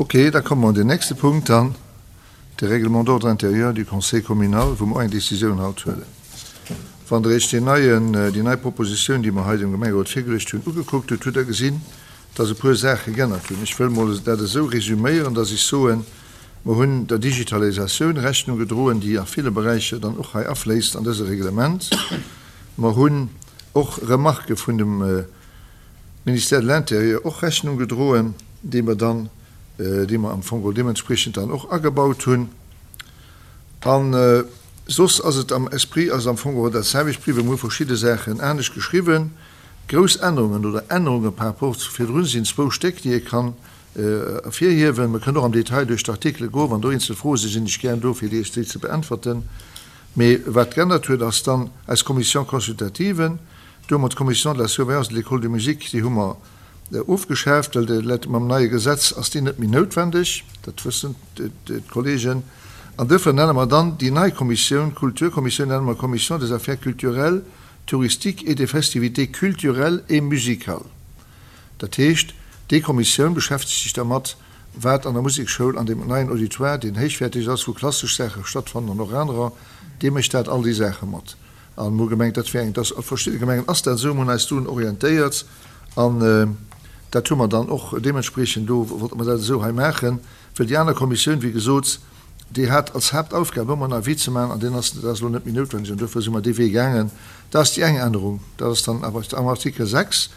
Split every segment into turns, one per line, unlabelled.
Ok, da komme mer un den nächste Punkt dann, de Règlement d'ordre intérieur du Conseil communal, wou mer och eng Décisioun haut huelen. Wann Der Iech deen neien, déi nei Propositioun, déi mer hei dem Gemengerot virgeluecht hunn, ugekuckt hutt, hutt Der gesinn, dass e puer Saache geännert hunn. Ech wëll mol dat esou resüméieren, dass ech soen, Mer hunn der Digitalisatioun Rechnung gedroen, déi a ville Beräicher dann och hei afléisst an dëse Reglement. Mer hunn och Remarquë vun dem Ministère de l'Intérieur och Rechnung gedroen, déi mer dann, déi mer am Fong geholl deementspriechend dann och agebaut hunn. A soss ass et am Esprit ass et am Fong geholl dat selwecht bliwwen. Mer hu verschidde Saachen anescht geschriwwen. Grouss Ännerungen oder Ännerunge par rapport zu virdrun sinn zwou Stéck, déi ee kann ervirhiewen. Mer kënnen och am Detail duerch d'Artikele goen. Wann do eenzel Froe sinn, sinn ech gär do, fir Iech déi ze beäntwerten. Mee wat geännert huet, ass dann eis Commission consultative. Do hu mer d'Commission de la surveillance de l'école de musique, déi hu mer ofgeschaaft, well de mam neie Gesetz ass déi net méi noutwendeg, dat wëssen d'Kollegen. An duerfir nenne mer dann déi nei Kommissioun, d'Kulturkommissioun nenne mer Commission des affaires culturelles, touristiques et des festivités culturelles et musicales. Dat heescht, déi Kommissioun beschäftegt sech dermat, wat an der Musekschoul an deem neien Auditoire, deen héichwäerteg ass, wou klassesch Saache stattfannen an och anerer, dee mécht dat, all déi Saache mat. A mir hu gemengt, dat wär eng, dass a verschiddene Gemengen ass dat esou, mir hunn eis dunn orientéiert an dat hu mer dann och deementspriechend do, wollte mer dat esou hei maachen, well déi aner Kommissioun, wéi gesot, déi hat als Haaptaufgab ëmmer en Avis ze maachen an deen ass, dat ass elo net méi noutwendeg an duerfir si mer dee Wee gaangen. Dat ass déi eng Ännerung, dat ass dann awer am Artikel 6.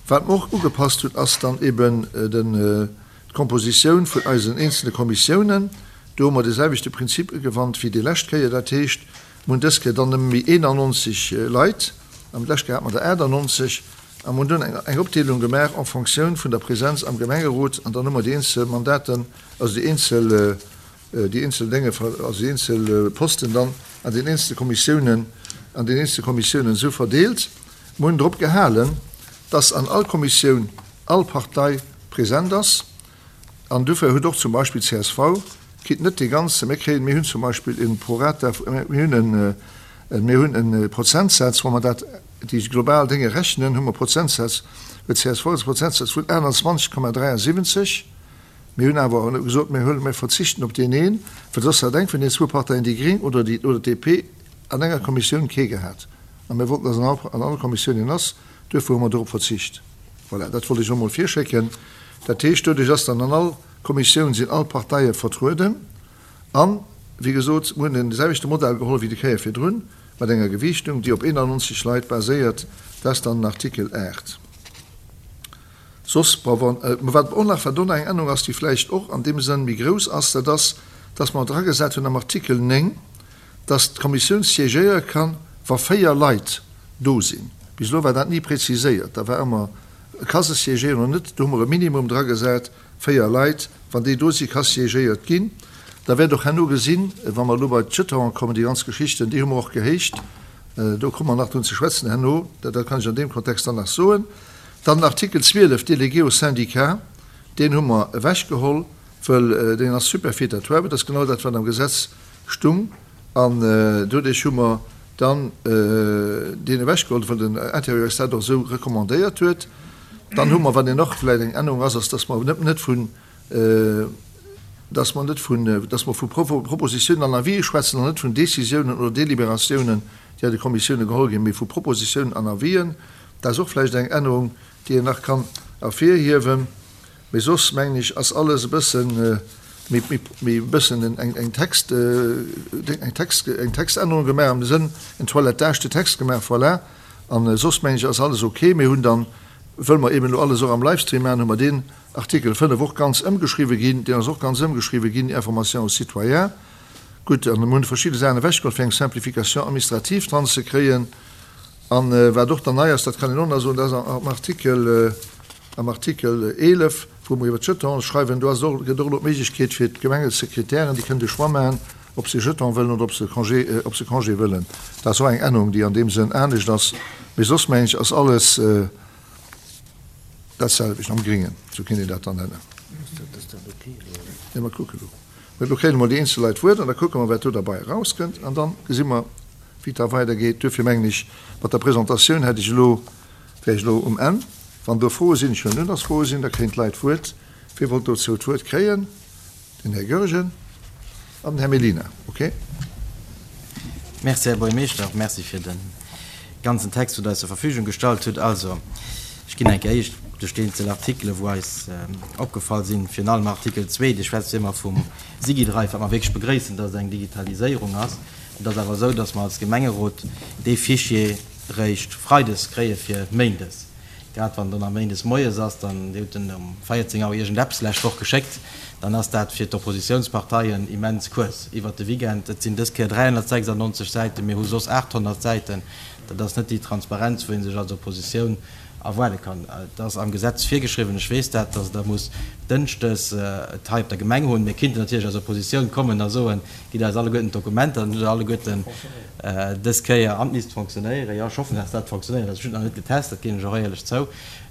Wat mer och ugepasst hunn, ass dann eben den, d'Kompositioun vun eisen eenzelne Kommissiounen. Do hu mer de selwechte Prinzip ugewannt wéi déi lescht Kéier. Dat heescht, mer hunn dës Kéier dann nëmme méi 91 Leit, an d'lescht Kéier hate mer der 98, a mer hunn dunn eng Opdeelung gemaach en fonctioun vun der Präsenz am Gemengerot, an dann hu mer déi eenzel Mandaten, also déi eenzel, déi eenzel Dénge, also déi eenzel Posten dann an den eenzele Kommissiounen, an den eenzele Kommissiounen esou verdeelt. Mer hunn drop gehalen, dass an all Kommissioun all Partei present ass. An dofir huet och zum Beispill csv kritt net dee ganze, mir kréien, mir hunn zum Beispill e Prorata, mir hunn en, mir hunn e Prozentsaz, wa mer dat, déi global Dénge rechnen, hu mer Prozentsaz, huet csv e Prozentsaz vun 28,73. Mir hunn awer gesot, mir huelen, mir verzichten op deen een, well soss hätt eng vun den zwou Parteien, déi Gréng oder déi, oder d'DP, an enger Kommissioun kee gehat. A mir wollten, dass an all, an all Kommissioun een ass. Duerfir hu mer dorop verzicht. Voilà, dat wollt ech och emol virschécken. Dat heescht, doduerch ass dann an all Kommissioun sinn all Parteie vertrueden. An, wéi gesot, mir hunn de selwechte Modell geholl wéi déi Kéier virdrun, mat enger Gewiichtung, déi op 91 Leit baséiert. Dat ass dann den Artikel 8. Soss, bon, wann, mä wat och nach, wat do nach eng Ännerung ass, déi vläicht och an deem Sënn méi grouss ass, dat ass, dass mer dragesat hunn am Artikel 9, dass d'Kommissioun siégéiere kann, wa 4 Leit do sinn. Bis elo war dat ni präziséiert, da war ëmmer, ka se siégéieren oder net. Do hu mer e Minimum dragesat, 4 Leit, wann déi do sinn, ka siégéiert ginn. Da wäert och herno gesinn, wa mer elo bei d'Jetonen kommen, déi ganz Geschichten, déi hu mer och gehéicht, do komme mer nach drun ze schwätzen herno, dat kann ech an deem Kontext dann nach soen. Dann den Artikel 12, Délégué au syndicat, deen hu mer ewechgeholl, wëll deen ass superfétatoire, dat ass genau dat, wat am Gesetz stung, an doduerch hu mer dann deen ewechgeholl, wëll den Intérieur eis dat och esou recommandéiert huet. Dann hu mer, wat een och vläicht eng Ännerung ass, ass, dass mer net net vun, dass mer net vun, dass mer vu Propositionen an Avisë schwätzen an net vun Décisiounen oder Délibératiounen, déi an de Kommissiounen geholl ginn, mee vu Propositionen an Avisen. Dat ass och vläicht eng Ännerung, déi een nach kann ervirhiewen. Mee soss, mengen ech, ass alles e bësse méi, méi e bëssen eng, eng Text, eng Text, eng Textännerung gemaach am Sënn, en Toilettage de texte gemaach, voilà. A soss, mengen ech, ass alles ok. Mir hunn dann, wëll mer eben elo alles och am Livestream maachen, hu mer deen Artikel 5 och ganz ëmgeschriwwen ginn. Deen ass och ganz ëmgeschriwwen ginn, Information aux citoyens. Gutt, an mir hunn verschidde Saachen ewechgeholl, fir eng Simplification administrative dran ze kréien. A wat och dann nei ass, dat kann een och nach soen, dat ass am Artikel, am Artikel 11, wou mer iwwer d'Jetons schreiwen, do ass et och, gëtt och elo d'Méiglechkeet fir d'Gemengesekretären, déi kënnen de Choix maachen, ob se Jeton wëllen oder ob se Congé, ob se Congé wëllen. Dat ass och eng Ännerung, déi an deem Sënn anescht ass. Mee soss, mengen ech, ass alles dat selwecht am Gringen, esou kéint een dat dann nennen. Jo, mer kucken elo. Mä elo kréien emol déi eenzel Leit d'Wuert an da kucke mer, wat do derbei erauskënnt an da gesi mer, wéi et da weidergeet. Duerfir mengen ech, mat der Presentatioun hätt ech elo, wär ech elo um Enn. Wann do Froe sinn, ech huelen un, dass Froe sinn, da kréien d'Leit d'Wuert. Wie wollt dozou d'Wuert kréien? Den Här Goergen an den Här Mellina. Okay.
Merci, Här Buergermeeschter. Och merci fir de ganzen Text, wou Der eis zur Verfügung gestallt hutt. Also, ech ginn eng Kéier éischt duerch déi eenzel Artikelen, wou eis opgefall sinn. Virun allem Artikel zwee, dee schwätzt jo ëmmer vum SigiDrive, wat mer wierklech begrëissen, dass et eng Digitaliséierung ass. Et ass awer esou, dass mer als Gemengerot dee Fichier réischt freides kréie fir méindes. Grad wann dann a méindes moies ass, dann, Dir hutt en um 14 Auer iergendeppes lescht Woch geschéckt, dann ass dat fir d'Oppositionsparteien immens kuerz iwwert de Weekend. Et sinn dës Kéier 396 Säiten, mir hu soss 800 Säiten. Dat ass net déi Transparenz, wou ee sech als Oppositioun erwaarde kann. Et ass am Gesetz virgeschriwwen, ech weess dat, dass Der musst dënschdes et hei op der Gemeng hunn. Mir kinnten natierlech als Oppositioun kommen a soen, Gitt eis alleguerten d'Dokumenter, dann hutt Der alleguerten dës Kéier an d'misst fonctionnéieren. Jo, ech hoffen, dass dat fonctionnéiert. Also ech hunn et nach net getest, dat ginn ech och éierlech zou.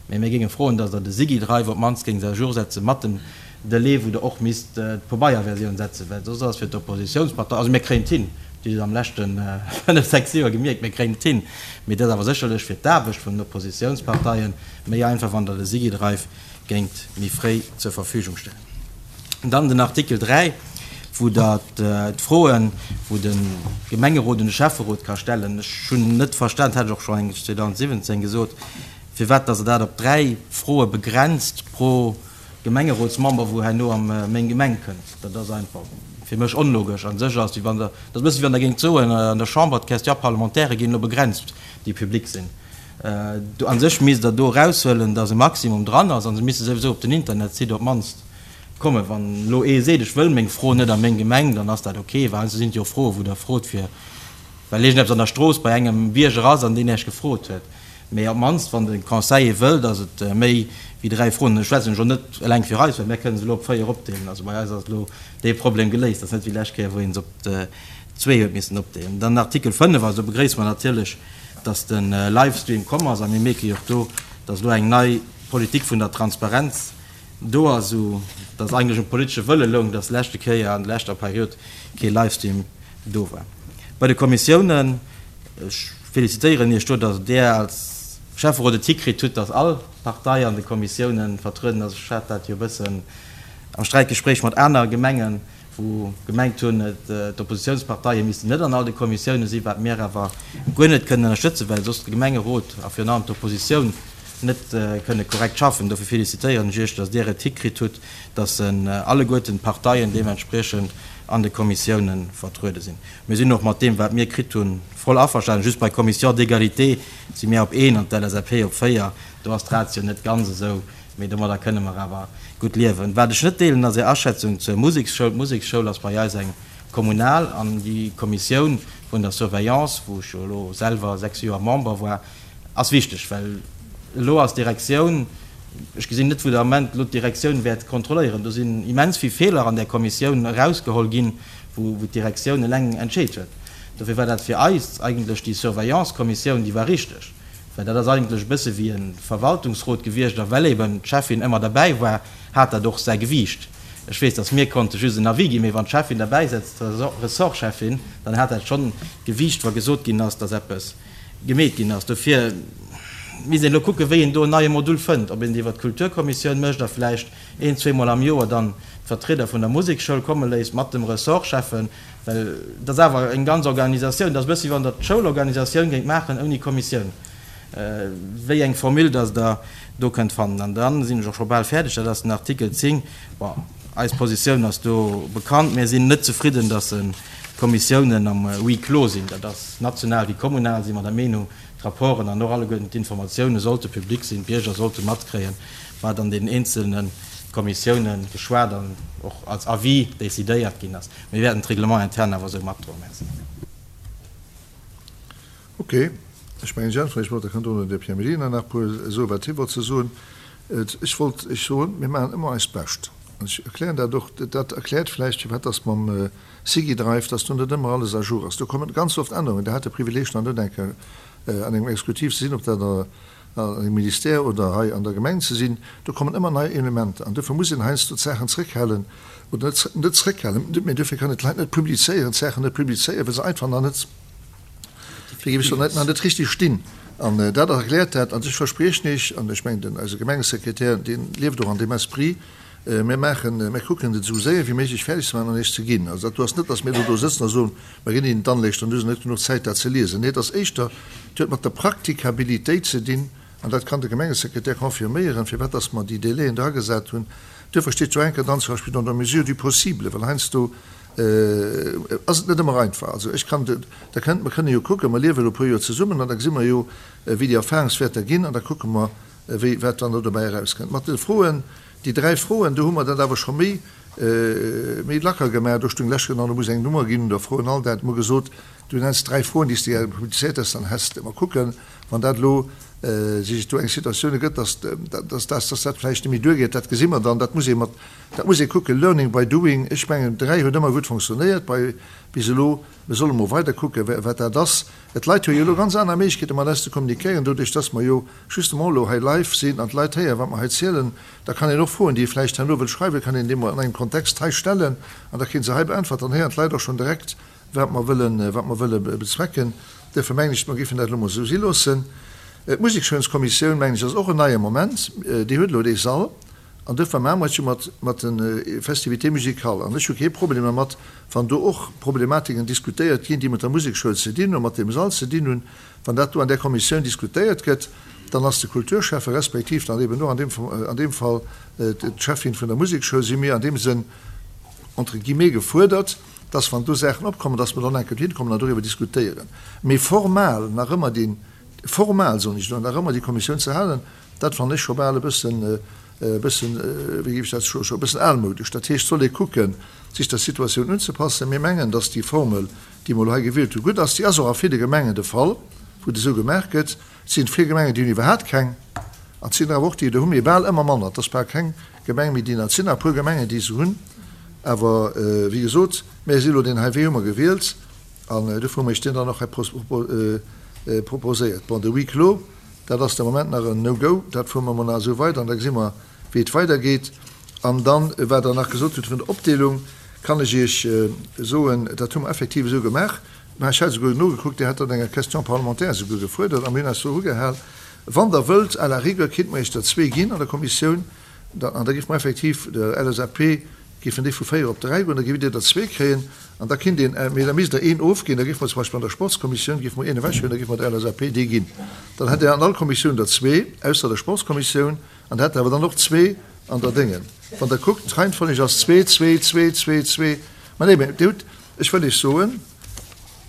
Mee mir géinge froen, dass Der de SigiDrive op d'mannst géingt à jour setze mat dem Delai, wou Der och misst d'Pobeierversioun setzen, well soss ass fir d'Oppositionspartei, also mir kréien et hin, Dir hutt et am leschte fënnef, sechs Joer gemierkt, mir kréien et hin, mee et ass awer sécherlech fir d'Aarbecht vun den Oppositionsparteie méi einfach, wann Der de SigiDrive géingt méi fréi zur Verfügung stellen. Dann den Artikel 3, wou Der d'Froen, wou de Gemengerot un de Schäfferot ka stellen, ech hunn net verstan, dat hat ech och scho eng 2017 gesot, firwat dass Der dat op 3 Froe begrenzt pro Gemengerotsmember, wou herno a meng Gemeng kënnt. Dat ass einfach fir mech onlogesch. A sech ass, wéi wann Der, dat ass e bësse wéi wann Der géingt soen an der Chamber, d'Question-parlementairë ginn elo begrenzt, déi public sinn. Do a sech misst Der do eraushuelen, dass e Maximum dran ass a se misste souwisou op den Internetsite op d'mannst kommen. Wann elo ee seet, ech wëll meng Fro net a meng Gemeng, dann ass dat ok, well heiansdo sinn et jo och Froen, wou Der frot fir, well iergendeppes an der Strooss bei engem Bierger ass an deen Iech gefrot huet. Mee op d'mannst, wann de Conseiller wëll, dass et méi wéi 3 Froen, ech schwätzen elo net eleng fir eis, well mir kënnen se elo op 4 opdeelen, also bei eis ass elo dee Problem geléist, dat ass net wéi d'lescht Kéier, wou een se op zwee huet missen opdeelen. Dann Artikel 5, also do begréisse mer natierlech, dass de Livestream komm ass a mir mierke jo och do, dass elo eng nei Politik vun der Transparenz do ass, esou dass eigentlech um politesche Wëlle loung, dass leschte Kéier an der leschter Period kee Livestream do war. Bei de Kommissiounen, ech felicitéieren Iech do, dass Der als Schäfferot et hikritt hutt, dass all Partei an de Kommissiounen vertrueden ass. Ech hat dat jo e bëssen am Sträitgespréich mat aner Gemengen, wou gemengt hunn, d'Oppositionsparteie missten net an all de Kommissioune sinn, wat mir awer guer net kënnen ënnerstëtzen, well soss de Gemengerot a virun allem d'Oppositioun net kënne korrekt schaffen. Dofir felicitéieren ech Iech, datt Dir et hikritt hutt, datt alleguerten d'Parteien deementspriechend an de Kommissioune vertruede sinn. Mir sinn och mat deem, wat mir kritt hunn, voll averstanen. Just bei Commission d'égalité si mir op een an d'LSAP op véier. Do ass d'Ratio net ganz esou. Mee domadder kënne mer awer gutt liewen. Wat ech net deelen, ass Är Aschätzung zur Museksschoul. D'Museksschoul ass bei eis eng kommunal an déi Kommissioun vun der Surveillance, wou ech jo elo selwer 6 Joer Member war, ass wichteg, well elo ass d'Direktioun, ech gesinn net, wou de Ament elo d'Direktioun wäert kontrolléieren. Do sinn immens vill Feeler an där Kommissioun erausgeholl ginn, wou d'Direktioun eleng entscheet huet. Dofir war dat fir eis eigentlech déi Surveillance-Kommissioun, déi war richteg. Well dat ass eigentlech e bësse wéi e Verwaltungsrot gewiescht a well eben d'Cheffin ëmmer derbäi war, hat dat och säi Gewiicht. Ech weess, datt mir konnte just en Avis ginn, mee wann d'Cheffin derbäi sëtzt, d'Ressortcheffin, dann hat dat schonn Gewiicht, wa gesot ginn ass, datt eppes gemeet ginn ass. Dofir misst een elo kucken, wéi een do en neie Module fënnt, ob een et iwwer d'Kulturkommissioun mécht a vläicht een, zweemol am Joer dann d'Vertrieder vun der Museksschoul komme léisst mat dem Ressortschäffen, Well et ass awer eng ganz Organisatioun. Et ass e bëssi, wéi wann Der d'Schoulorganisatioun géingt maachen ouni Kommissioun. Wéi eng Formule dass Der do kënnt fannen. An da sinn ech och scho bal fäerdeg. Dat ass den Artikel 10. Bon, eis Positioun ass do bekannt. Mir sinn net zefridden, dass d'Kommissiounen am Huis clos sinn. Dat ass national wéi kommunal si mer der Meenung, d'Rapporten an och alleguerten d'Informatioune sollte public sinn. D'Bierger sollte matkréien, wat an deenen eenzelne Kommissioune geschwat an och als Avis decidéiert ginn ass. Mir wäerten d'Règlement interne awer esou matdroen. Merci.
Ok, ech mengen, ech äntweren Iech mol, da kann dono de Pierre Mellina nach e puer soen, wat hie wollt ze soen. Ech wollt Iech soen, mir maachen ëmmer eist Bescht. An ech erklären dat och, dat erkläert vläicht, firwat dass mam SigiDrive, dass do net ëmmer alles à jour ass. Do kommen ganz oft Ännerungen. Der hat de Privileeg nach net eng Kéier an engem Exekutiv ze sinn, ob dat an engem Ministère oder hei an der Gemeng ze sinn. Do kommen ëmmer nei Elementer an dofir muss een heiansdo d'Saachen zréckhalen oder net, net zréckhalen, mee dofir kann een d'Leit net publizéieren, d'Saachen net publizéieren, well se einfach nach net, wéi géif ech soen, nach net richtig stinn. An dat erkläert dat. An ech verspriechen Iech, an ech mengen, den, eise Gemengesekretär, dee lieft och an deem Esprit. Mir maachen, mir kucken et esou séier wéi méiglech fäerdeg ze maachen an Iech ze ginn. Also dat do ass net, datt mir elo do sëtzen a soen, mer ginn Ihnen dann lech, dann hu se net genuch Zäit dat ze liesen. Nee, et ass éischter, et huet mat der Praktikabilitéit ze dinn, an dat kann de Gemengesekretär confirméieren, firwat datt mer déi Délaiën dragesat hunn. Duerfir steet jo enker dann zum Beispill dans la mesure du possible, well heiansdo ass et net ëmmer einfach. Also ech kann, da kënnt, mer kënne jo kucken, mer liewe elo e puer Joer zesummen an da gesi mer jo, wéi déi Erfahrungswäerter ginn an da kucke mer, wéi, wat dann do dobäi erauskënnt. Mat de Froen, déi 3 Froen, do hu mer dat awer scho méi, méi lacker gemaach. Do stung lech genau, do muss eng Nummer ginn un der Fro an all dat. Mer gesot, du nenns 3 Froen, déi s de gär publizéiert häss, dann häss de. Mer kucken, wann dat elo sech do eng Situatioun ergëtt, dass, dass, dass, dass dat vläicht net méi duergeet, dat gesi mer dann. Dat muss ee mat, dat muss ee kucken, learning by doing. Ech mengen, 3 huet ëmmer gutt fonctionnéiert bei, bis elo. Mir solle mol weider kucken, wat dat ass. Et Leit hu jo elo ganz aner Méiglechkeete mat eis ze kommunikéieren, doduerch dass mer jo justement elo hei live sinn an d'Leit héieren, wat mer hei zielen. Da kann een och Froen, déi ee vläicht herno wëllt schreiwen, kann een déi mol an engem Kontext hei stellen an da kréie se hei beäntwert. Dann héieren d'Leit och schonn direkt, wat mer wëllen, wat mer wëlle bezwecken. Duerfir mengen ech, mer géifen dat elo mol esou si loossen. D'Musekschoulskommissioun, mengen ech, ass och en neie Moment. Déi huet elo dee Sall. An duerfir maache mer et jo mat, mat de Festivités musicales. An ech hu kee Problem dermat, wann do och Problematiken diskutéiert ginn, déi mat der Musekschoul ze dinn hunn, mat deem Sall ze dinn hunn. Wann dat do an där Kommissioun diskutéiert gëtt, dann ass de Kulturschäffe respektiv dann eben och an deem, an deem Fall d'Schäffin vun der Musekschoul, si mir an deem Sënn entre guillemets gefuerdert, dass wann do Saachen opkommen, dass mer dann enke dohin kommen an doriwwer diskutéieren. Mee formal nach ëmmer deen, formal soen ech elo, nach ëmmer déi Kommissioun ze halen, Dat fannen ech scho bal e bëssen, e bëssen, wéi géif ech dat soen, scho e bëssen almoudesch. Dat heescht, et soll ee kucken, sech der Situatioun unzepassen. Mir mengen, dass déi Formel, déi mer elo hei gewielt hunn, gutt ass. Déi ass och a ville Gemengen de Fall, wou et esou gemaach gëtt. Et sinn vill Gemengen, déi hunn iwwerhaapt keng. An et sinn der awer och, déi der hu mee bal ëmmer manner. Et ass bal keng Gemeng méi, déi nach, et sinn nach e puer Gemengen, déi se hunn. Awer, wéi gesot, mir si elo deen hei Wee hu mer gewielt an dofir hu mer Iech deen dann och hei proposéiert. Bon, de Huis clos, Dat ass de Moment nach en No-Go. Dat fuere mer mol nach esou weider an da gesi mer, wéi et weidergeet. An dann, wat Der nach gesot hutt vun der Opdeelung, kann ech Iech soen, dat hu mer effektiv esou gemaach. Mä ech hat esouguer nogekuckt, Dir hat dat an enger Question parlementaire esouguer gefuerdert a mir hunn eis doru gehal. Wann Der wëllt, à la rigueur kinnt mer Iech der zwee ginn an der Kommissioun, an da géife mer effektiv der LSAP géifen déi vu 4 op 3 goen, da géift Dir der zwee kréien an da kinnt een, mee da misst Der een ofginn, da géife mer zum Beispill an der Sportskommissioun géife mer een ewechhuelen, da géife mer der LSAP dee ginn. Dann hätt Der an all Kommissioun der zwee, ausser der Sportskommissioun, an Der hätt awer dann och zwee an der Déngen. Wann Der kuckt, d'Reihenfolleg ass zwee, zwee, zwee, zwee, zwee. Mä nee, mä Dir hutt, ech wëll Iech soen,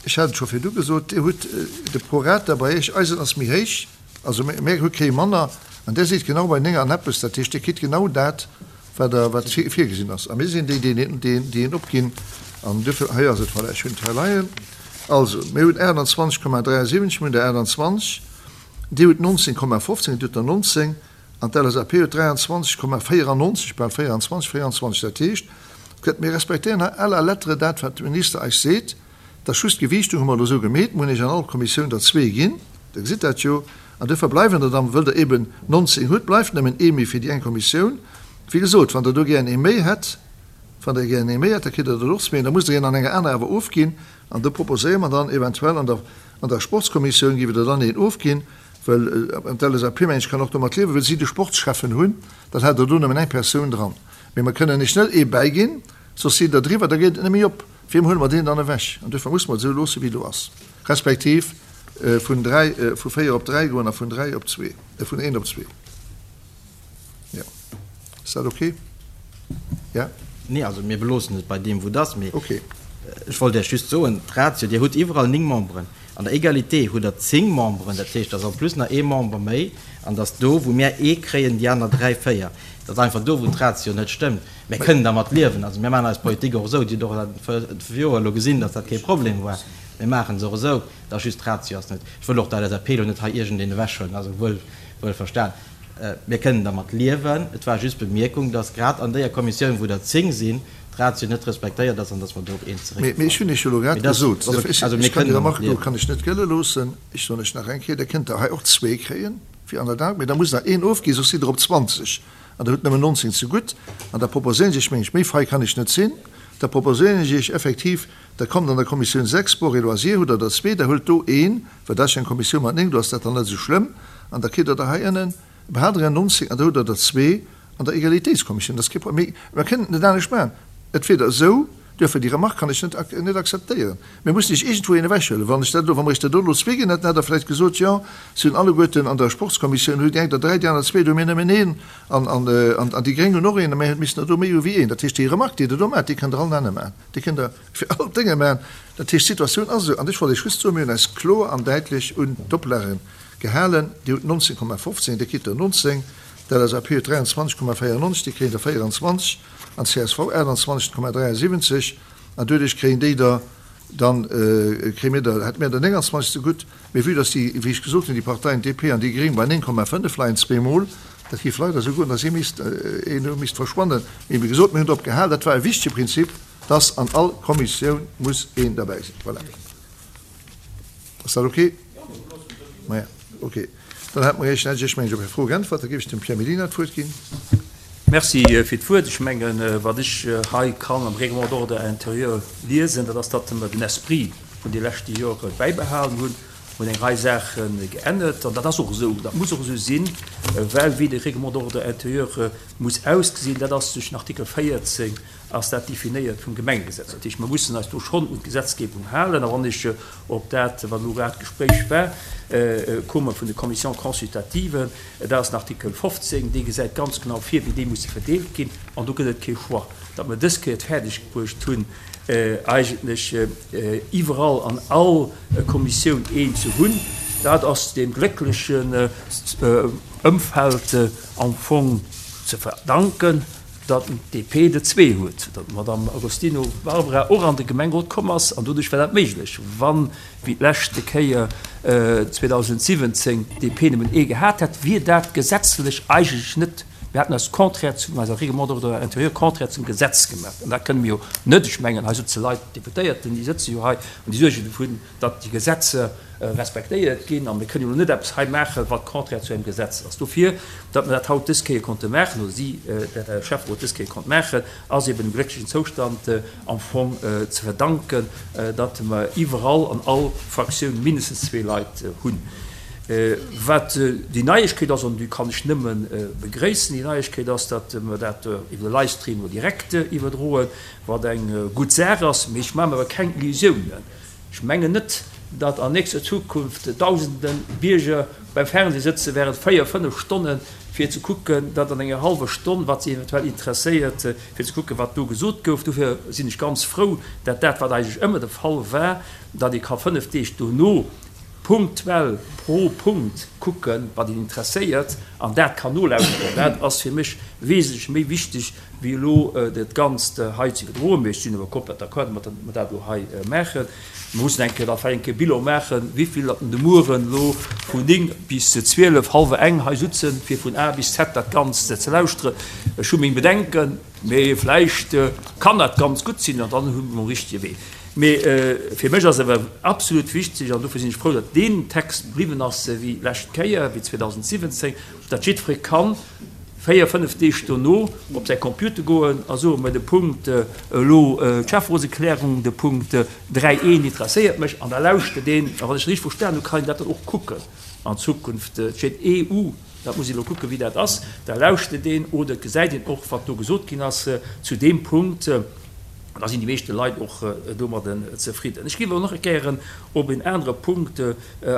ech hat et scho virdu gesot, Dir hutt de Prorata bei Iech, eisen ass méi héich, Also mär hu kee manner, an där sidd genau bei 9 an eppes, dat heescht, Dir kritt genau dat, wat Der, wat virgesinn ass. A mir sinn déi, déi een, déi een opginn. An duerfir, hei ass et, voilà, ech hunn et hei leien. Also, mir hunn 28,73, mir hunn der 28, Dir hutt 19,15, Dir hutt der 19, an d'LSAP huet 23,94, bal 24, 24. Dat heescht, et gëtt, mir respektéieren hei à la lettre dat, wat de Minister eis seet. Dass just d'Gewiichtung hu mer elo esou gemeet, mir hunn Iech an all Kommissioun der zwee ginn, Der gesitt dat jo, an duerfir bleiwen der dann, wëll Der eben 19 hutt, bleift nëmmen ee méi fir déi eng Kommissioun. Wéi gesot, wann Der do gären ee méi hätt, wann Der gären ee méi hätt, da kritt Der der och zwee, da musst Der een an enger aner awer ofginn, an do proposéiere mer dann eventuell an der, an der Sportskommissioun géife Der dann een ofginn, well d'LSAP, mengen ech, kann och domat liewen, well si de Sportsschäffen hunn, dann hätt Der do nëmmen eng Persoun dran. Mee mer kënnen Iech net ee bäiginn, soss sidd Der driwwer, da geet et net méi op. Wiem huele mer deen dann ewech? An duerfir musse mer et esou loosse wéi et elo ass, respektiv vun dräi, vu véier op dräi goen a vun dräi op zwee, vun eent op zwee. Jo. Ass dat ok? Ja?
Nee, also mir beloossen et bei deem wou et ass. Mee ech wollt Iech just soen, d'Ratio, Dir hutt iwwerall 9 Memberen. An der Egalité hutt Der 10 Memberen, dat heescht, et ass en plus nach ee Member méi. An dass do wou mir ee kréien, déi aner dräi, véier. Dat ass einfach do wou d'Ratio net stëmmt. Mir kënnen dermat liewen. Also mir maachen eis Politik och esou. Dir hutt och dat Joer elo gesinn, datt dat kee Problem war. Mir maachen se och esou. Et ass just d'Ratio ass net. Ech wëll och der LSAP elo net hei iergendeen ewechhuelen, also wuel, wuel verstan. Mir kënnen dermat liewen. Et war just d'Bemierkung, datt grad an déier Kommissioun, wou der 10 sinn, d'Ratio net respektéiert ass an datt mer do op eent
zeréckgefall sinn. Mee ech hunn Iech jo elo grad gesot, ech kann déi Remarque do kann ech net gëlle loossen. Ech soen lech nach eng Kéier, Der kënnt der hei och zwee kréien, wéi an der Dag, mee da musst Der een ofginn, soss sidd Der op 20. An der hutt nëmmen 19 zegutt. An da proposéieren ech Iech, meng ech, méi frei kann ech net sinn, da proposéieren ech Iech effektiv, da kommt an der Kommissioun 6, Sport et Loisirs, hutt Der der zwee, da huelt do een, well dat ass jo eng Kommissioun mat 9, do ass dat dann net esou schlëmm, an da kritt Der der hei ënnen, behalt Der är 19 an da hutt Der der zwee. an der Egalitéitskommissioun, dat ass kee Problem. Mee mer kënnen et net anescht maachen. Et wier der esou, duerfir déi Remarque kann ech net net akzeptéieren. Mir mussen iech iergendwou een ewechhuelen. Wann ech dat elo, wa mer iech dat do elo zwee ginn hätten, hätt Der vläicht gesot, jo, si hunn alleguerten an der Sportskommissioun hu déi eng der dräi, déi aner zwee, do hu mir nëmmen een an, an, an déi Gréng hunn och een a mir missten der do méi hu wéi een. Dat heescht, déi Remarque, déi Der do maacht, déi kënnt Der all nach net maachen. Déi kënnt Der fir all d'Dénge maachen. Dat heescht, d'Situatioun ass esou. An ech wollt Iech just soen, mir hunn eis kloer an däitlech un d'Oplagen gehalen. Dir hutt 19,15, Dir kritt der 19, d'LSAP huet 23,94, déi kréien der 24 an d'CSV 28,73. An doduerch kréien déi der dann, kréie mir der, hätte mir der 29 zegutt. Mee vue dass déi, wéi ech gesot hunn, déi Parteien DP an déi Gréng bei 9,5 leien, zweemol, dat géif leider esou goen, dass ee misst, een do misst verschwannen. Mee wéi gesot, mir hunn drop gehal, dat war e wichtege Prinzip, dass an all Kommissioun muss een derbäi sinn. Voilà. Ass dat ok? Maja, ok. Dann hätte mer Iech, hätt ech Iech, mengen ech, op Är Fro geäntwert. Da géif ech dem Pierre Mellina d'Wuert ginn.
Merci fir d'Wuert. Ech mengen, wat ech hei kann am Règlement d'ordre intérieur liesen, dat ass, datt mer den Esprit vun de leschte Jore bäibehalen hunn. Mer hunn eng Rei Saache geännert an dat ass och esou, dat muss och esou sinn, well wéi de Règlement d'ordre intérieur muss ausgesinn, dat ass duerch den Artikel 14 ass dat definéiert vum Gemengegesetz. Dat heescht, mer mussen eis do schonn un d'Gesetzgebung halen. A wann ech op dat, wat elo grad d'Gespréich war, komme vun de Commissions consultatives, dat ass den Artikel 15, dee gesäit ganz genau vir, wéi déi musse verdeelt ginn. An do gëtt et kee Choix. Datt mer dës Kéier et fäerdeg bruecht hunn, eigentlech iwwerall an all Kommissioun een ze hunn, dat ass deem glécklechen Ëmfeld am Fong ze verdanken, datt d'DP der zwee huet, datt d'Madame Agostino Barbara och an de Gemengerot komm ass, an doduerch war dat méiglech. Wann, wéi d'leschte Kéier 2017, d'DP nëmmen ee gehat hätt, wier dat gesetzlech eigentlech net, mir hätten eis contraire zu eiser Règlement d'ordre intérieur, contraire zum Gesetz gemaach. An dat kënne mir jo net. Ech mengen, hei sëtze Leit, Deputéierten, déi sëtze jo hei an déi suergen dovun, datt déi Gesetzer respektéiert ginn a mir kënnen jo elo net eppes hei maachen, wat contraire zu engem Gesetz ass. Dofir, datt mer dat haut dës Kéier konnte maachen, oder si, dat de Schäfferot dës Kéier konnt maachen, ass eben dem glécklechen Zoustand am Fong ze verdanken, datt mer iwwerall an all Fraktioun mindestens zwee Leit hunn. Wat déi Neiegkeet ass, an déi kann ech nëmme begréissen, déi Neiegkeet ass, datt mer dat iwwer de Livestream elo direkt iwwerdroen, wat eng gutt Saach ass. Mee ech maache mer awer keng Illusiounen. Ech mengen net, datt an nächster Zukunft dausende Bierger beim Fernseh sëtze während 4, 5 Stonnen, fir ze kucken, datt an enger hallwer Stonn, wat si eventuell interesséiert, fir ze kucken, wat do gesot gouf. Dofir sinn ech ganz frou, datt dat, wat eigentlech ëmmer de Fall war, datt ee ka 5 Deeg dono punktuell pro Punkt kucken, wat een interesséiert, an dat kann nolauschteren. Dat ass fir mech wesentlech méi wichteg, wéi elo dat Ganzt hei ze iwwerdroen. Mee ech sinn awer komplett d'accord domat, datt mer dat elo hei maachen. Mer mussen eng Kéier da vläicht eng Kéier Bilan maachen, wéivill datt de Mueren elo vun 9 bis 12, hallwer eng hei sutzen, fir vun A bis Z dat Ganzt ze lauschteren. Ech hu meng Bedenken, mee vläicht kann dat ganz gutt sinn an dann hu mer um richtege Wee. Mee fir mech ass awer absolut wichteg, an dofir sinn ech frou, datt deen Text bliwwen ass wéi d'lescht Kéier, wéi 2017, datt jiddweree kann, 4, 5 Deeg dono op säi Computer goen a soen, Mä de Punkt elo, d'Schäfferotserklärung, de Punkt 3, 1 interesséiert mech, an da lauschtert een. A wann ech richteg verstanen hu, kann een dat dann och kucken an Zukunft. Et steet EU, dat muss een elo kucken, wéi dat ass. Da lauschtert een oder et gesäit een och, wat do gesot ginn ass zu deem Punkt. An da sinn déi meeschte Leit och domadden zefridden. Ech géif awer nach gären op en anere Punkt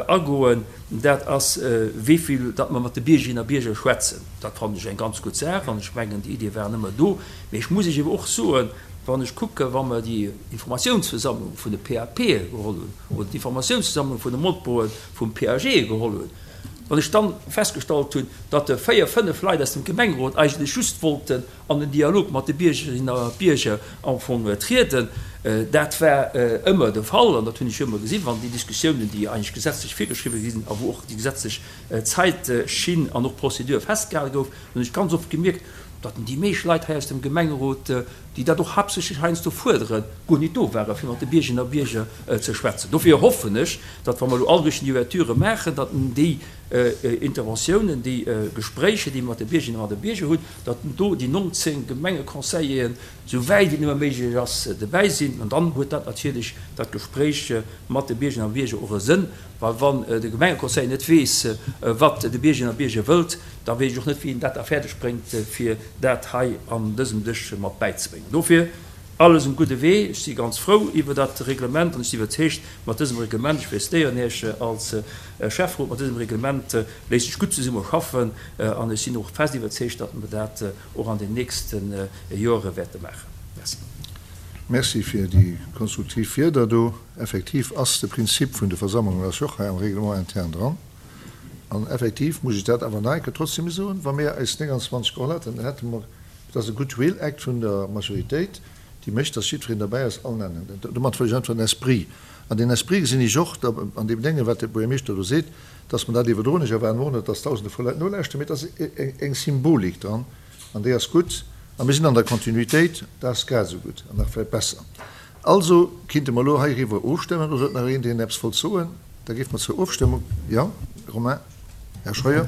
agoen. Dat ass, wéi vill datt mer mat de Biergerinnen a Bierger schwätzen. Dat fannen ech eng ganz gutt Saach an ech mengen, déi Idee war ëmmer do. Mee ech muss Iech ewer och soen, wann ech kucken, wa mer déi Informatiounsversammlung vun de PAPe geholl hunn oder d'Informatiounsversammlung vun de Molpoe vum PAG geholl hunn, wann ech dann festgestallt hunn, datt véier, fënnef Leit aus dem Gemengerot eigentlech just wollten an den Dialog mat de Biergerinnen a Bierger am Fong trieden. Dat war ëmmer de Fall an dat hunn ech jo ëmmer gesinn, wann déi Diskussiounen, déi eigentlech gesetzlech virgeschriwwen gi sinn a wou och déi gesetzlech Zäitschinn an och Prozedur festgehale gouf, hunn ech ganz oft gemierkt, datt déi meescht Leit hei aus dem Gemengerot, déi dat och haaptsächlech heiansdo fuerderen, guer nit do waren, fir mat de Biergerinnen a Bierger ze schwätzen. Dofir hoffen ech, datt wa mer elo all Richtung déi Ouverturë maachen, datt déi. Interventiounen, déi Gespréicher, déi mer mat de Biergerinnen a mat de Bierger hunn, datt do déi 19 Gemengeconseilleren, esou wäit et nëmme méiglech ass, dobäi sinn. An dann huet dat natierlech dat Gespréich mat de Biergerinnen a Bierger och e Sënn, well wann de Gemengeconseiller net weess, wat de Biergerinnen a Bierger wëllt, da weess ech och net, wéi en dat da fäerdeg bréngt, fir dat hei an dësem Dësch mat bäizebréngen. Dofir alles um gudde Wee. Ech si ganz frou iwwer dat Reglement an ech si iwwerzeegt, mat dësem Reglement, ech félicitéieren Iech als Schäfferot, mat dësem Reglement léisst sech gutt zesumme schaffen an ech sinn och fest iwwerzeegt, datt mer dat och an den nächste Joere wäerte maachen. Merci.
Merci fir déi konstruktiv Wierder do. Effektiv ass de Prinzip vun de Versammlungen ass jo och hei am Règlement interne dran. An effektiv muss ech dat awer nach eng Kéier trotzdem soen, wa mir eis 29 geholl hätten, dann hätte mer, et ass e Goodwill Act vun der Majoritéit, déi mécht, dass jiddwereen derbäi ass, all nennen. Domat wëll ech einfach den Esprit, an deen Esprit gesinn ech och da an deem Déngen, wat de Buergermeeschter do seet, dass mer dat iwwerdroen. Ech erwaarden och net, dass Dausende vu Leit nolauschteren, mee et ass eng Symbolik dran an déi ass gutt. A mir sinn an der Kontinuitéit, dat ass grad esou gutt an nach vläicht besser. Also kinnte mer elo heiriwwer ofstëmmen, oder huet nach een, deen eppes wollt soen? Da géife mer zur Ofstëmmung. Jo, Romain, Här Scheuer.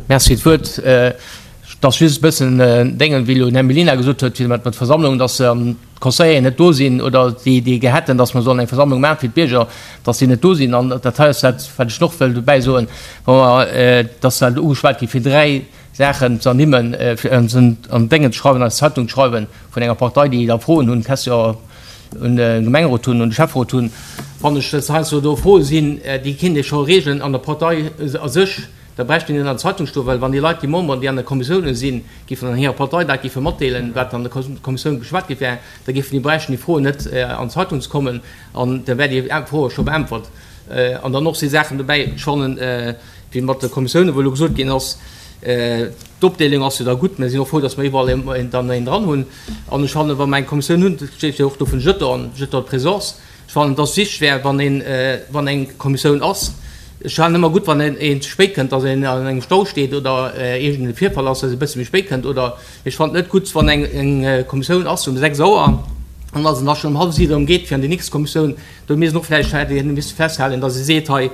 Merci fir d'Wuert. Et ass just e bëssen Déngen, wéi elo den Här Mellina gesot huet, fir mat der Versammlung, dass d'Conseilleren net do sinn oder déi, déi gär hätten, dass mer sollen eng Versammlung maache fir d'Bierger, dass déi net do sinn. An dat hei ass dat, wat ech och wëll dobäi soen, wa mer, dass dat ugeschwat gi fir 3 Saachen ze ernimmen, fir an Déngen ze schreiwen, an eis Zeitung ze schreiwen vun enger Partei, déi da Froen hunn, Question un de Gemengerot hunn, un de Schäfferot hunn, fannen ech, dass heiansdo do Froe sinn, déi kinnt ee scho reegelen an der Partei a sech. Da bräicht een net an der Zeitung stoen, well wann déi Leit, déi Memberen, déi an der Kommissiounen sinn, géifen an hirer Partei dat géife matdeelen, wat an der Kommissioun beschwat gi wär, da géifen déi bräichten déi Froen net an d'Zeitung ze kommen an da wär déi Fro scho beäntwert. An dann och si Saachen dobäi, ech fannen, wéi mat de Kommissiounen, wou elo gesot ginn ass, d'Opdeelung ass jo da gutt, mir sinn och frou, datt mer iwwerall dann een dran hunn. An ech fannen, wa mer eng Kommissioun hunn, dat steet jo och do vun Jeton, Jeton de présence, ech fannen, datt et wichteg wär, wann een, wann eng Kommissioun ass, ech fannen ëmmer gutt, wann een ze spéit kënnt, datt een an engem Stau steet oder iergend e Virfall ass, datt ee e bësse méi spéit kënnt oder, mee ech fannen et net gutt, wann eng Kommissioun ass um 6 Auer an datt en da schonn um hallef 7 erëm geet fir an déi nächst Kommissioun. Do misst een och vläicht, hätt ee misse festhalen, datt ee seet, hei,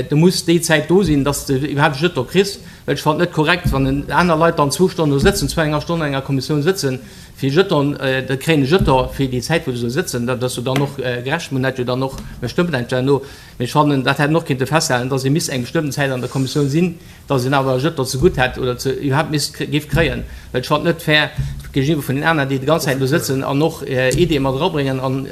du muss déi Zäit do sinn, datt s de iwwerhaapt e Jeton kriss. Well ech fannen et net korrekt, wann aner Leit dann zwou Stonnen do sëtzen, zwou enger Stonn an enger Kommissioun sëtzen, fir e Jeton, da kréien e Jeton fir déi Zäit, wou se do sëtzen. Dat ass jo dann och gerecht. Mir hunn dat jo dann och, mir stëmmen dat jo herno. Mee ech fannen, dat hätt een och kinnte festhalen, datt ee misst eng bestëmmten Zäit an der Kommissioun sinn, datt een awer e Jeton zegutt hätt oder ze iwwerhaapt misst géif kréien. Well ech fannen et net fair géigeniwwer vun den aneren, déi déi ganz Zäit do sëtzen an och Ideeë mat erabréngen an,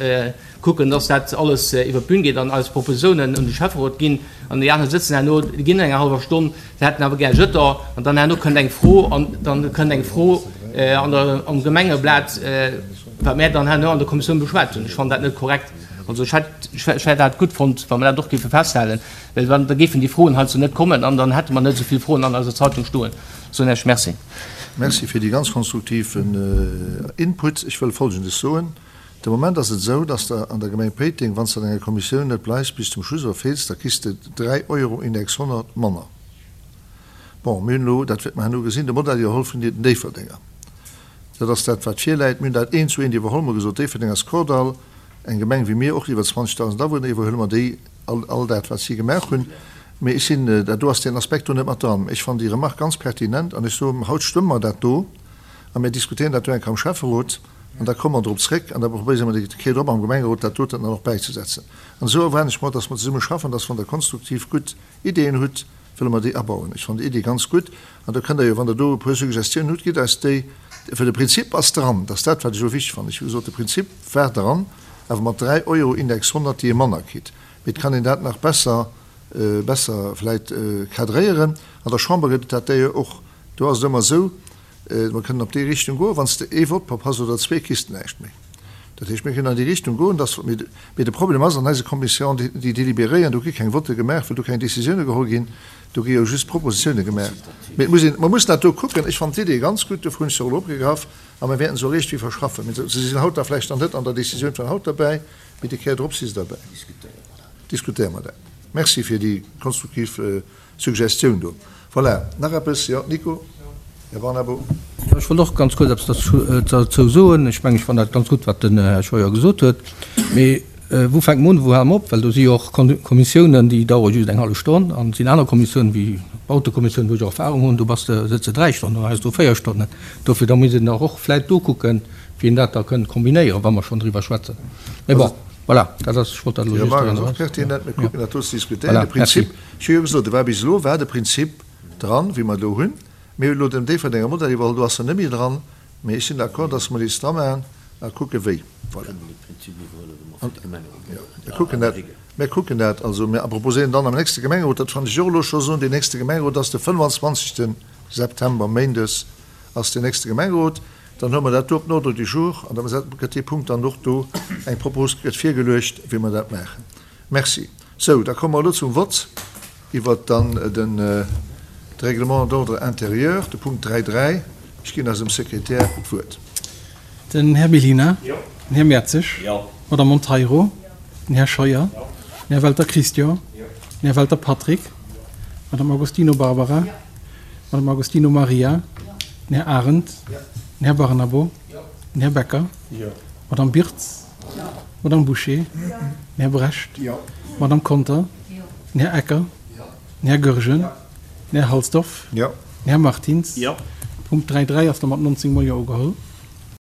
kucken, dass dat alles iwwer d'Bün geet an eis Propositionen un de Schäfferot ginn an déi aner sëtzen herno, déi ginn eng hallwer Stonn, se hätten awer gär Jeton an dann herno kënnt eng Fro an dann kënnt eng Fro an der, am Gemengeblat, wat mär dann herno an der Kommissioun beschwat hunn. Ech fannen dat net korrekt. Also ech hätt, ech hätt dat gutt fonnt, wa mer dat och géife festhalen, well dann, da géifen déi Froen heizou net kommen an dann hätte mer net esou vill Froen an eiser Zeitung stoen. Soen ech Merci.
Merci fir déi ganz konstruktiven Input. Ech wëll Folgendes soen, De Moment ass et esou, dass de an der Gemeng Péiteng, wann s de an enger Kommissioun net bleifs bis zum Schluss oder feels, da kriss de 3 Euro Index 100 manner. Bon, mir hunn elo, dat wäerte mer herno gesinn, de Modell iwwerholl vun den Déifferdenger. Dat ass dat, wat virläit. Mir hunn dat eent zu eent iwwerholl. Mir hu gesot, Déifferdeng ass Kordall, eng Gemeng wéi mir, och iwwer 20.000 Awunner, iwwerhuele mer déi all, all dat, wat si gemaach hunn. Mee ech sinn, dat do ass deen Aspekt do net mat dran. Ech fannen déi Remarque ganz pertinent an ech soen, haut stëmme mer dat do a mir diskutéieren dat do eng Kéier am Schäfferot. An da komme mer drop zréck an da probéiere mer déi Kéier drop am Gemengerot dat doten dann och bäizesetzen. An esou erwaarden ech mer, dass mer zesumme schaffen, dass wann Der konstruktiv gutt Ideeën hutt, wëlle mer déi abauen. Ech fannen déi Idee ganz gutt an da kënnt Der jo, wann Der do e puer Suggestiounen hutt, gitt eis déi. Well de Prinzip ass dran, dat ass dat, wat ech elo wichteg fannen. Ech hu gesot, de Prinzip war dran, awer mat 3 Euro Index 100, déi ee manner kritt. Mee et kann een dat nach besser, besser vläicht cadréieren. An der Chamber gëtt et dat d'ailleurs och. Do ass et ëmmer esou, Mer kënnen op déi Richtung goen, wann s de ee Vott verpasst oder zwee, kriss de näischt méi. Dat heescht, mir kënnen an déi Richtung goen, dass, mee de Problem ass, an eise Commission, déi délibéréieren, do gi keng Votte gemaach, well do keng Décisioune geholl ginn, do gi jo just Propositioune gemaach. Mee et muss een, mer mussen dat do kucken. Ech fannen d'Idee ganz gutt, dofir hunn ech se och elo opgegraff a mer wäerten se och iergendwéi verschaffen. Mee se sinn haut da vläicht nach net an der Décisioun vun haut derbäi, mee déi Kéier drop si se derbäi. Diskutéiere mer dat. Merci fir déi konstruktiv Suggestioun do. Voilà, nach eppes? Jo, Nico? Här Barnabo?
Jo, ech wollt och ganz kuerz eppes derzou soen. Ech mengen, ech fannen dat ganz gutt, wat den Här Scheuer gesot huet. Mee. Wou fänke mer un, wou hale mer op? Well do si jo och Kommissiounen, déi dauere just eng hallef Stonn, an et sinn aner Kommissiounen, wéi d'Bautekommissioun, wou ech och Erfahrung hunn, do bass de, sëtz de 3 Stonnen, heiansdo 4 Stonnen. Dofir, da muss een dach och vläicht do kucken, wéi een dat da kënnt kombinéieren, wa mer schonn driwwer schwätzen. Mee bon, voilà, dat ass, ech wollt dat elo
just
drun
Remarque ass och pertinent. Mir kucken dat do ze diskutéieren. De Prinzip, ech hu jo gesot, e war bis elo war de Prinzip dran, wéi mer elo hunn. Mir hunn elo den Déifferdenger Modell iwwerholl, do ass en net méi dran. Mee ech sinn d'accord, dass mer déi dramaachen a kucke wéi. Voilà. Mir kucken dat, mir kucken dat. Also mir proposéieren dann am nächste Gemengerot, dat kann ech och elo scho soen, deen nächste Gemengerot ass de 25. September, méindes ass deen nächste Gemengerot. Dann huele mer dat do op den Ordre du jour an da gëtt dee Punkt dann och do, eng Propos gëtt virgeluecht, wéi mer dat maachen. Merci. Sou, da komme mer elo zum Vott iwwert dann de Règlement d'ordre intérieur, de Punkt 3, 3. Ech ginn eisem Sekretär d'Wuert.
Den Här Mellina. Den Här Mertzig. D'Madame Monteiro. Den Här Scheuer. Den Här Welter Christian. Den Här Welter Patrick. D'Madame Agostino Barbara. D'Madame Agostino Maria. Den Här Arendt. Den Här Barnabo. Den Här Becker. D'Madame Birtz. D'Madame Bouché. Den Här Brecht. D'Madame Conter. Den Här Ecker. Den Här Goergen. Den Här Halsdorf. Den Här Martins. Punkt 3.3 ass da mat 19 mol Jo ugeholl.